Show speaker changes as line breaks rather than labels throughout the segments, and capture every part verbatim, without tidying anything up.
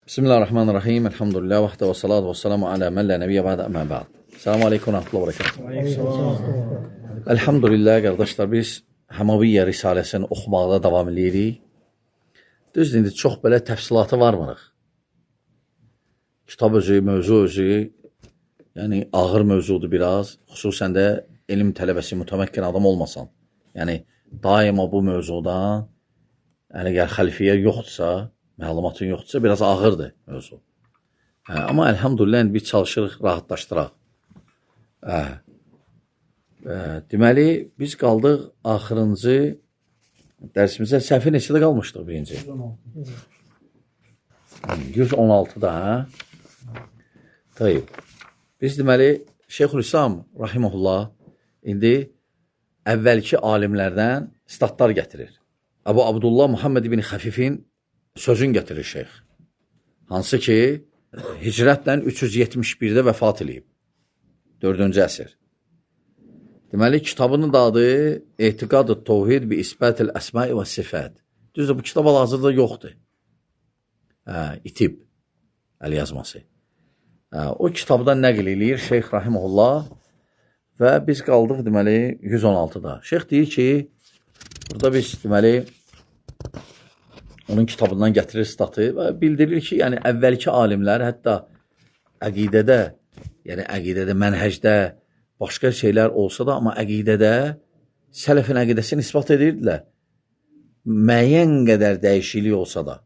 Bismillahirrahmanirrahim. Elhamdülillah vahdə və salatu və salamu alə mən lə nəbiyyə bədə əmə bəd. Selamu aleykum və rəhmətullah və bərəkatuhu. Elhamdülillah, qardaşlar, biz Həmaviyyə Risaləsini oxumaqda davam edirik. Düzdür, indi çox belə təfsilatı varmırıq. Kitab özü, mövzu özü, yəni ağır mövzudur biraz. Xüsusən də elm tələbəsi, mütəməkkin adam olmasan. Yəni, daima bu mövzudan, yəni əgər xəlfiyyə yoxdursa, məlumatın yoxdursa, biraz ağırdır mövzu. Hə, amma əlhamdülillah, biz çalışırıq, rahatlaşdıraq. Hə. Hə, deməli, biz qaldıq axırıncı dərsimizdə səhvi neçədə qalmışdıq birinci? yüz on altıda, hə? Tayyib. Biz deməli, Şeyxülislam Rahiməhullah indi əvvəlki alimlərdən statlar gətirir. Əbu Abdullah Muhammed ibn Xəfifin sözün gətirir şeyx. Hansı ki, hicrətlə üç yüz yetmiş birdə vəfat edib. dördüncü əsr. Deməli, kitabının da adı Etiqad-ı Tevhid bi İsbətil Əsma-i və Sifət. Düzdür, bu kitab hal-hazırda yoxdur. Hə, itib əl yazması. Hə, o kitabdan nəql eləyir Şeyx Rahiməhullah və biz qaldıq deməli yüz on altıda. Şeyx deyir ki, burada biz deməli onun kitabından gətirir statı və bildirir ki, yəni əvvəlki alimlər hətta əqidədə, yəni əqidədə, mənhəcdə başqa şeylər olsa da, amma əqidədə sələfin əqidəsini ispat edirdilər. Müəyyən qədər dəyişiklik olsa da.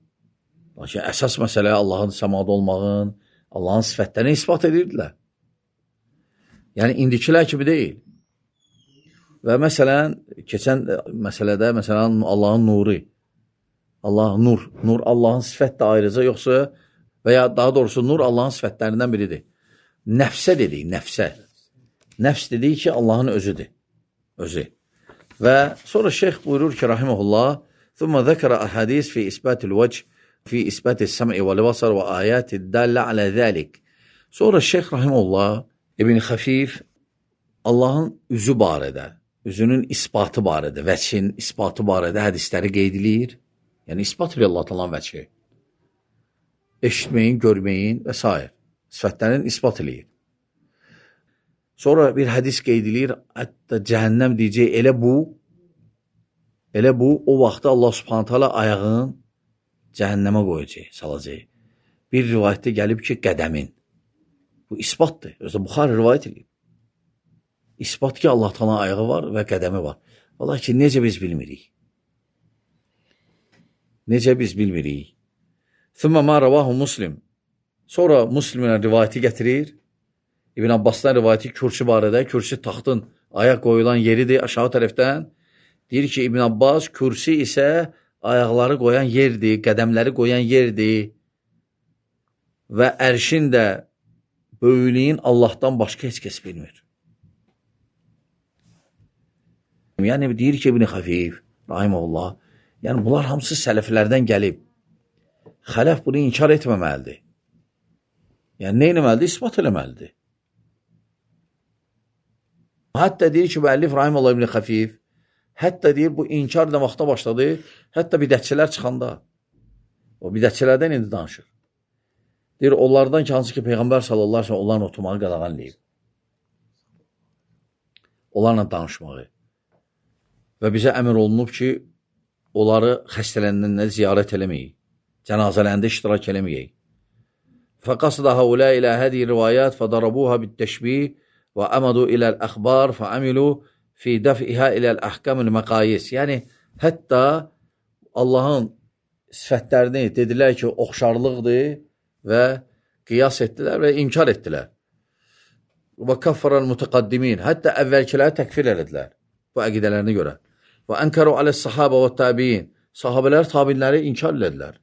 Lakin əsas məsələ Allahın səmada olmağın, Allahın sifətlərini ispat edirdilər. Yəni, indikilər kimi deyil. Və məsələn, keçən məsələdə, məsələn, Allahın nuru, Allah nur, nur Allahın sifət də ayrıca, yoxsa və ya daha doğrusu nur Allahın sifətlərindən biridir. Nəfsə dedik, nəfsə. Nəfs dedik ki, Allahın özüdür, özü. Və sonra şeyx buyurur ki, rahiməhullah, ثُمَّ ذَكَرَ أَحَدِيث فِي إِسْبَاتِ الْوَجْهِ فِي إِسْبَاتِ السَّمْعِ وَالْبَصَرِ وَآيَاتِ الدَّالَّةِ عَلَى ذَلِكَ. Sonra şeyx rahiməhullah İbn Xəfif Allahın üzü barədə, üzünün isbatı barədə, vəçhin isbatı barədə hədisləri qeyd edir. Yəni, ispat edir Allah talan vəçhi. Eşitməyin, görməyin və s. Sifətlərin ispat edir. Sonra bir hədis qeyd edir, hətta cəhənnəm deyəcək, elə bu, elə bu, o vaxtda Allah subhanətə alə ayağın cəhənnəmə qoyacaq, salacaq. Bir rivayətdə gəlib ki, qədəmin. Bu isbatdır. Özdə Buxari rivayət edir. İsbat ki, Allah talan ayağı var və qədəmi var. Vallahi ki, necə biz bilmirik. Necə biz bilmirik. Thumma ma ravahu Muslim. Sonra Müslimə rivayəti gətirir. İbn Abbasdan rivayəti kürsü barədə. Kürsü taxtın ayaq qoyulan yeridir aşağı tərəfdən. Deyir ki, İbn Abbas kürsü isə ayaqları qoyan yerdir, qədəmləri qoyan yerdir. Və ərşin də böyüklüyün Allahdan başqa heç kəs bilmir. Yəni, deyir ki, İbn Xəfif, rahiməhullah, yəni, bunlar hamısı sələflərdən gəlib. Xələf bunu inkar etməməlidir. Yəni, nə eləməlidir? İspat eləməlidir. Hətta deyir ki, müəllif rahiməhullah İbn Xəfif, hətta deyir, bu inkar nə vaxta başladı, hətta bidətçilər çıxanda. O bidətçilərdən indi danışır. Deyir, onlardan ki, hansı ki, Peyğəmbər sallallahu aleyhi ve sellem onların oturmağı qadağan eləyib. Onlarla danışmağı. Və bizə əmr olunub ki, onları xəstələrindən ziyarət eləməyik. Cənazələrində iştirak eləməyik. Fəqasıda həulə ilə hədi rivayət fədarabuha bit-təşbih və əmədu iləl-əxbar fəəmilu fi dəf'ihə iləl-əhkəmül məqayis. Yəni, hətta Allahın sifətlərini dedilər ki, oxşarlıqdır və qiyas etdilər və inkar etdilər. Və kəffərəl mütəqaddimin. Hətta əvvəlkiləri təkfir elədilər bu əqidələrinə görə. Və ənkəru aləs-sahabə və təbiin. Sahabələr, tabinləri inkar elədilər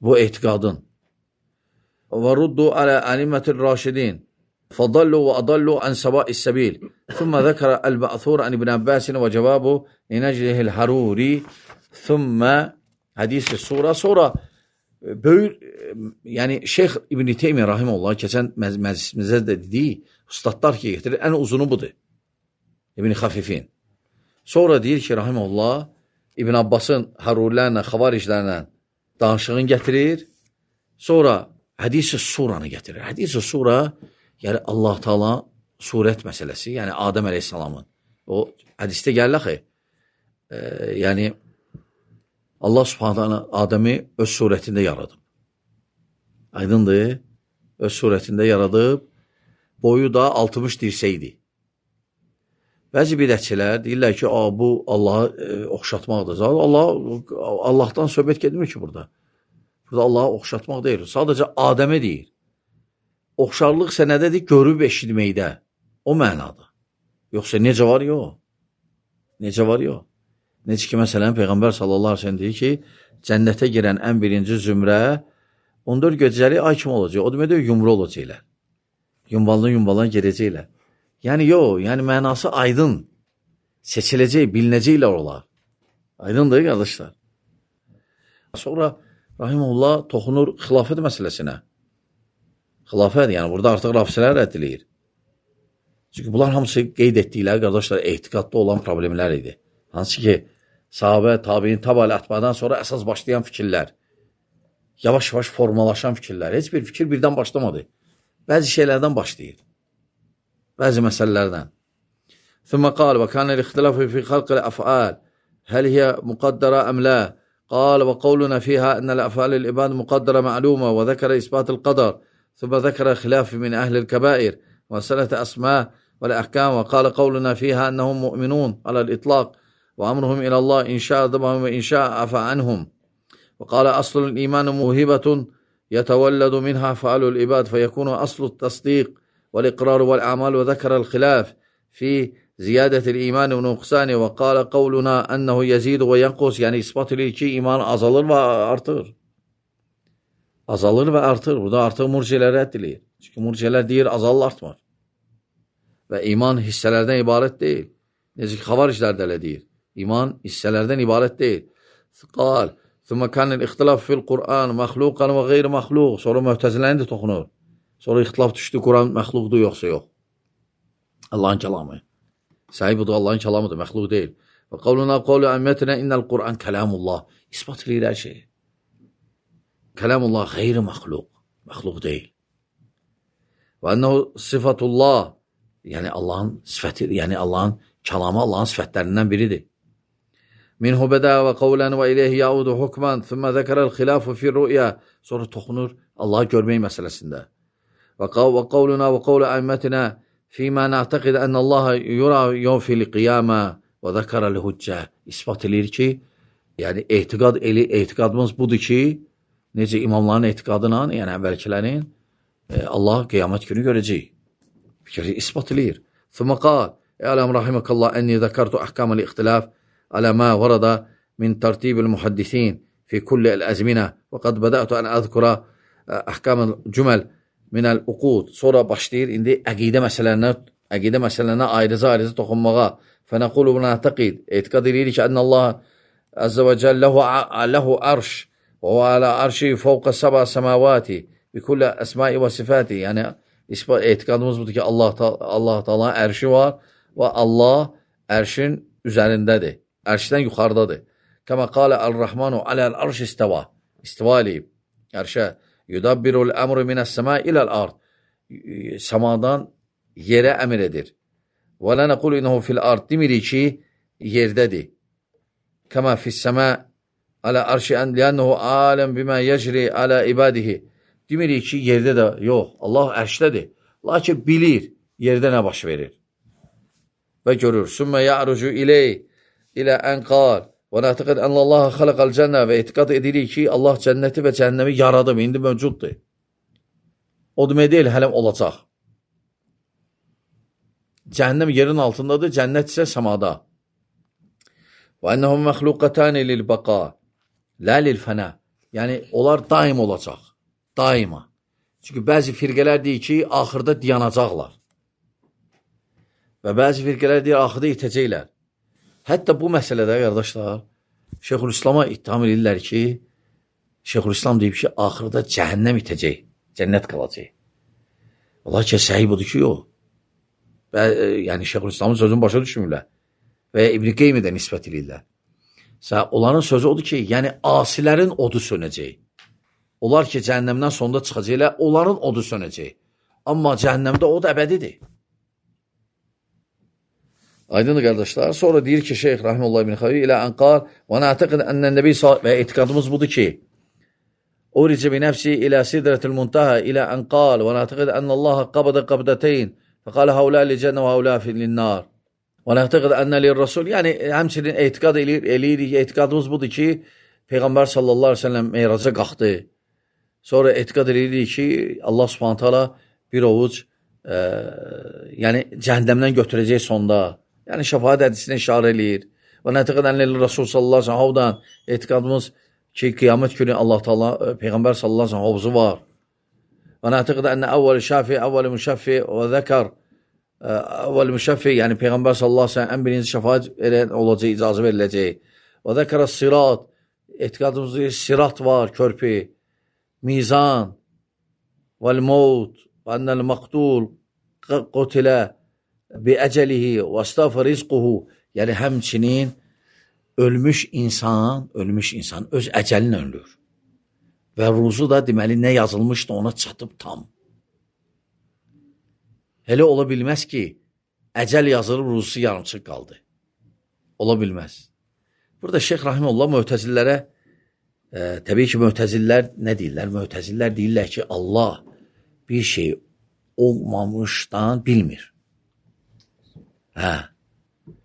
bu etiqadın. Və ruddu alə ənimətil raşidin. Fədallu və adallu ən səbais səbil. Thumma zəkərə əl-bə'thur ən İbn Əbbəsin və cəvabu inəclihil haruri. Thumma hədisi sura. Sonra böyük, yəni Şeyx İbn Teymiyyə rahiməhullah keçən məclisimizdə də dediyi ustadlar ki, getirir, ən uzunu budur. İbn Xəfifin. Sonra deyir ki, rahiməhullah İbn Abbasın harurilərlə, xavariclərlə danışığını gətirir. Sonra hədis-i suranı gətirir. Hədis-i sura, yəni Allah Taala surət məsələsi, yəni Adəm əleyhissalamın. O hədisdə gəlir axı. E, yəni Allah Subhanahu Adəmi öz surətində yaradıb. Aydındır? Öz surətində yaradıb. Boyu da altmış dirsəkdir. Bəzi bidətçilər deyirlər ki, bu Allahı e, oxşatmaqdır. Allah, Allahdan söhbət gedmir ki burada. Burada Allahı oxşatmaq deyil. Sadəcə Adəmə deyir. Oxşarlıq sənədədir, görüb eşitməkdə. O mənada. Yoxsa necə var, yox. Necə var, yox. Necə ki, məsələn, Peyğəmbər sallallahu aleyhi ve sellem deyir ki, cənnətə girən ən birinci zümrə on dörd gecəli ay kimi olacaq. O deməkdir, yumru olacaqlar. Yumbalın-yumbalın gedəcəklər. Yəni, yox, yəni mənası aydın. Seçiləcək, bilinəcəklər olar. Aydındır, qardaşlar. Sonra Rahimullah toxunur xilafət məsələsinə. Xilafət, yəni burada artıq rafisələr rədd edilir. Çünki bunlar hamısı qeyd etdikləri, qardaşlar, etiqadda olan problemlər idi. Hansı ki, sahabə, tabiin, tabi ətbadan sonra əsas başlayan fikirlər, yavaş-yavaş formalaşan fikirlər, heç bir fikir birdən başlamadı. Bəzi şeylərdən başlayır. Bəzi məsələlərdən. ثم قال وكان الاختلاف في خلق الأفعال هل هي مقدرة أم لا قال وقولنا فيها أن الأفعال العباد مقدرة معلومة وذكر إثبات القدر ثم ذكر خلاف من أهل الكبائر وسلة أسماء والأحكام وقال قولنا فيها أنهم مؤمنون على الإطلاق وأمرهم إلى الله إن شاء ذبهم وإن شاء عفى عنهم وقال أصل الإيمان موهبة يتولد منها فعل العباد فيكون أصل التصديق والإقرار والأعمال وذكر الخلاف في زiyadətil iman və nüqsani və qala qavluna ənəhu yezidu və yanqus, yəni ispat edir ki, iman azalır və artır. Azalır və artır. Burada artıq murciələr rədd edilir. Çünki murciələr deyir, azalır, artmır. Və iman hissələrdən ibarət deyil. Necə ki, xavariclər də elə deyir. İman hissələrdən ibarət deyil. Qal, thumma kanil ixtilaf fil Qur'an, məxluqan və qeyri məxluq. Sonra mühtəziləni də toxunur. Sonra ixtilaf düşdü, Qur'an məxluqdur, yoxsa yox. Allahın kəlamı. Sahib budur, Allahın kəlamıdır, məxluq deyil. Və qavluna qavlu əmmətinə innəl Qur'an kəlamullah. İspat edir hər şey. Kəlamullah qeyri məxluq. Məxluq deyil. Və ənəhu sifatullah. Yəni Allahın sifəti, yəni Allahın kəlamı Allahın sifətlərindən biridir. Minhu bədə və qavlən və iləyhi yaudu hukman, thümmə zəkərəl xilafu fi rü'ya. Sonra toxunur Allahı görmək məsələsində. Və qavluna və qavlu əmmətinə فيما نعتقد أن الله يرى يوم في القيامة وذكر الهجة. İspat edir ki, yəni etiqad eli, etiqadımız budur ki, necə imamların etiqadına, yəni əvvəlkilərin e, Allah qiyamət günü görəcək. Fikri ispat edir. ثم قال اعلم رحمك الله أني ذكرت أحكام الاختلاف على ما ورد من ترتيب المحدثين في كل الأزمنة وقد بدأت أن أذكر أحكام الجمل minəl uqud. Sonra başlayır, indi əqidə məsələlərinə, əqidə məsələlərinə ayrıca-ayrıca toxunmağa. Fənəqulu buna təqid. Etiqad edirik ki, ənə Allah əzzə və cəl ləhu arş və və alə arşi fəvqə səbə səməvati bi kullə əsmai və sifati. Yəni, etiqadımız budur ki, Allah, Allah Teala ərşi var və Allah ərşin üzərindədir. Ərşdən yuxarıdadır. Kəmə qalə əl-Rəhmanu aləl arş istəva. İstiva eləyib. Ərşə. Yudabbirul əmru minəs-səma iləl-ard. Səmadan yerə əmr edir. Və lənə qulu inəhu fil-ard. Demirik ki, yerdədir. Kəmə fis-səma alə arşi ən liyənəhu aləm bimə yəcri alə ibadihi. Demirik ki, yerdə də yox. Allah ərşdədir. Lakin bilir yerdə nə baş verir. Və görür. Sümmə ya'rucu iley ilə ən qal. Və nətiqid ənə Allah xaləqəl cənnə və etiqad edirik ki, Allah cənnəti və cəhənnəmi yaradıb, indi mövcuddur. O demək deyil, hələm olacaq. Cəhənnəm yerin altındadır, cənnət isə səmada. Və ənəhum məxluqətəni lil-bəqa, lə lil-fənə. Yəni, onlar daim olacaq, daima. Çünki bəzi firqələr deyir ki, axırda dayanacaqlar. Və bəzi firqələr deyir, axırda itəcəklər. Hətta bu məsələdə, qardaşlar, Şeyxülislam'a ittiham edirlər ki, Şeyxülislam deyib ki, axırda cəhənnəm itəcək, cənnət qalacaq. Allah ki, səhih budur ki, yox. Və, yəni, Şeyxülislamın sözünü başa düşmürlər. Və İbn-i Qeymə də nisbət edirlər. Onların sözü odur ki, yəni, asilərin odu sönəcək. Onlar ki, cəhənnəmdən sonda çıxacaqlar, onların odu sönəcək. Amma cəhənnəmdə od əbədidir. Aydındır qardaşlar. Sonra deyir ki, Şeyx Rahimullah ibn Xavi ilə ənqal və nətəqid ənnən nəbi və etiqadımız budur ki, Uricə bi nəfsi ilə sidratil muntaha ilə ənqal və nətəqid ənəllaha qabədə qabdəteyn fəqalə havlə li cənnə və havlə filinnar və nətəqid ənə lir rasul. Yəni, həmçinin etiqad eləyirik, etiqadımız budur ki, Peyğəmbər sallallahu aleyhi ve sellem meyraca qalxdı. Sonra etiqad eləyirik ki, Allah subhanət hala bir ovuc e, yəni cəhəndəmdən götürəcək sonda. Yəni, şəfaət hədisinə işarə eləyir. Və nətəqid ənə lir rasul sallallahu aleyhi ve sellem havdan etiqadımız ki, qiyamət günü Allah Taala Peyğəmbər sallallahu əleyhi və səlləm hovuzu var. Və nətəqid ənə əvvəl şəfi, əvvəl müşəffi və zəkər, əvvəl müşəffi, yəni Peyğəmbər sallallahu əleyhi və səlləm ən birinci şəfaət verən olacaq, icazə veriləcək. Və zəkər sirat, etiqadımızda sirat var, körpü, mizan, vəl-mevt, və ənəl məqtul, qutilə, bi əcəlihi, və stəfə rizquhu, yəni həmçinin ölmüş insan, ölmüş insan öz əcəlini ölür. Və ruzu da deməli nə yazılmışdı ona çatıb tam. Elə ola bilməz ki, əcəl yazılıb ruzusu yarımçıq qaldı. Ola bilməz. Burada Şeyx Rahimullah mötəzillərə, e, təbii ki, mötəzillər nə deyirlər? Mötəzillər deyirlər ki, Allah bir şey olmamışdan bilmir. Hə.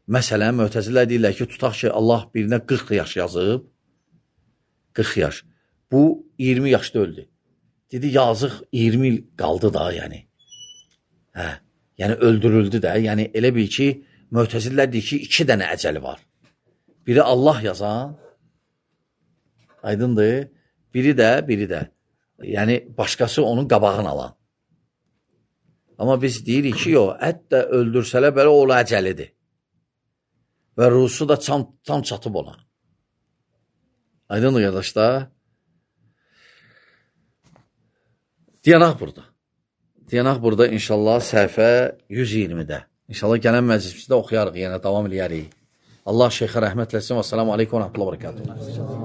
Məsələn, mötəzilər deyirlər ki, tutaq ki, Allah birinə qırx yaş yazıb, qırx yaş. Bu, iyirmi yaşda öldü. Dedi, yazıq iyirmi il qaldı da, yəni. Hə, yəni öldürüldü də. Yəni, elə bil ki, mötəzilər deyir ki, iki dənə əcəli var. Biri Allah yazan, aydındır, biri də, biri də. Yəni, başqası onun qabağını alan. Amma biz deyirik ki, yox, hətta öldürsələ belə oğlu əcəlidir. Və ruhusu da tam, tam çatıb ona. Aydındır, qardaşlar. Diyanaq burada. Diyanaq burada inşallah səhifə yüz iyirmidə. İnşallah gələn məclisimizdə oxuyarıq, yəni davam eləyərik. Allah şeyxə rəhmət eləsin və selamu aleykum və rəhmətullah və bərəkatuhu.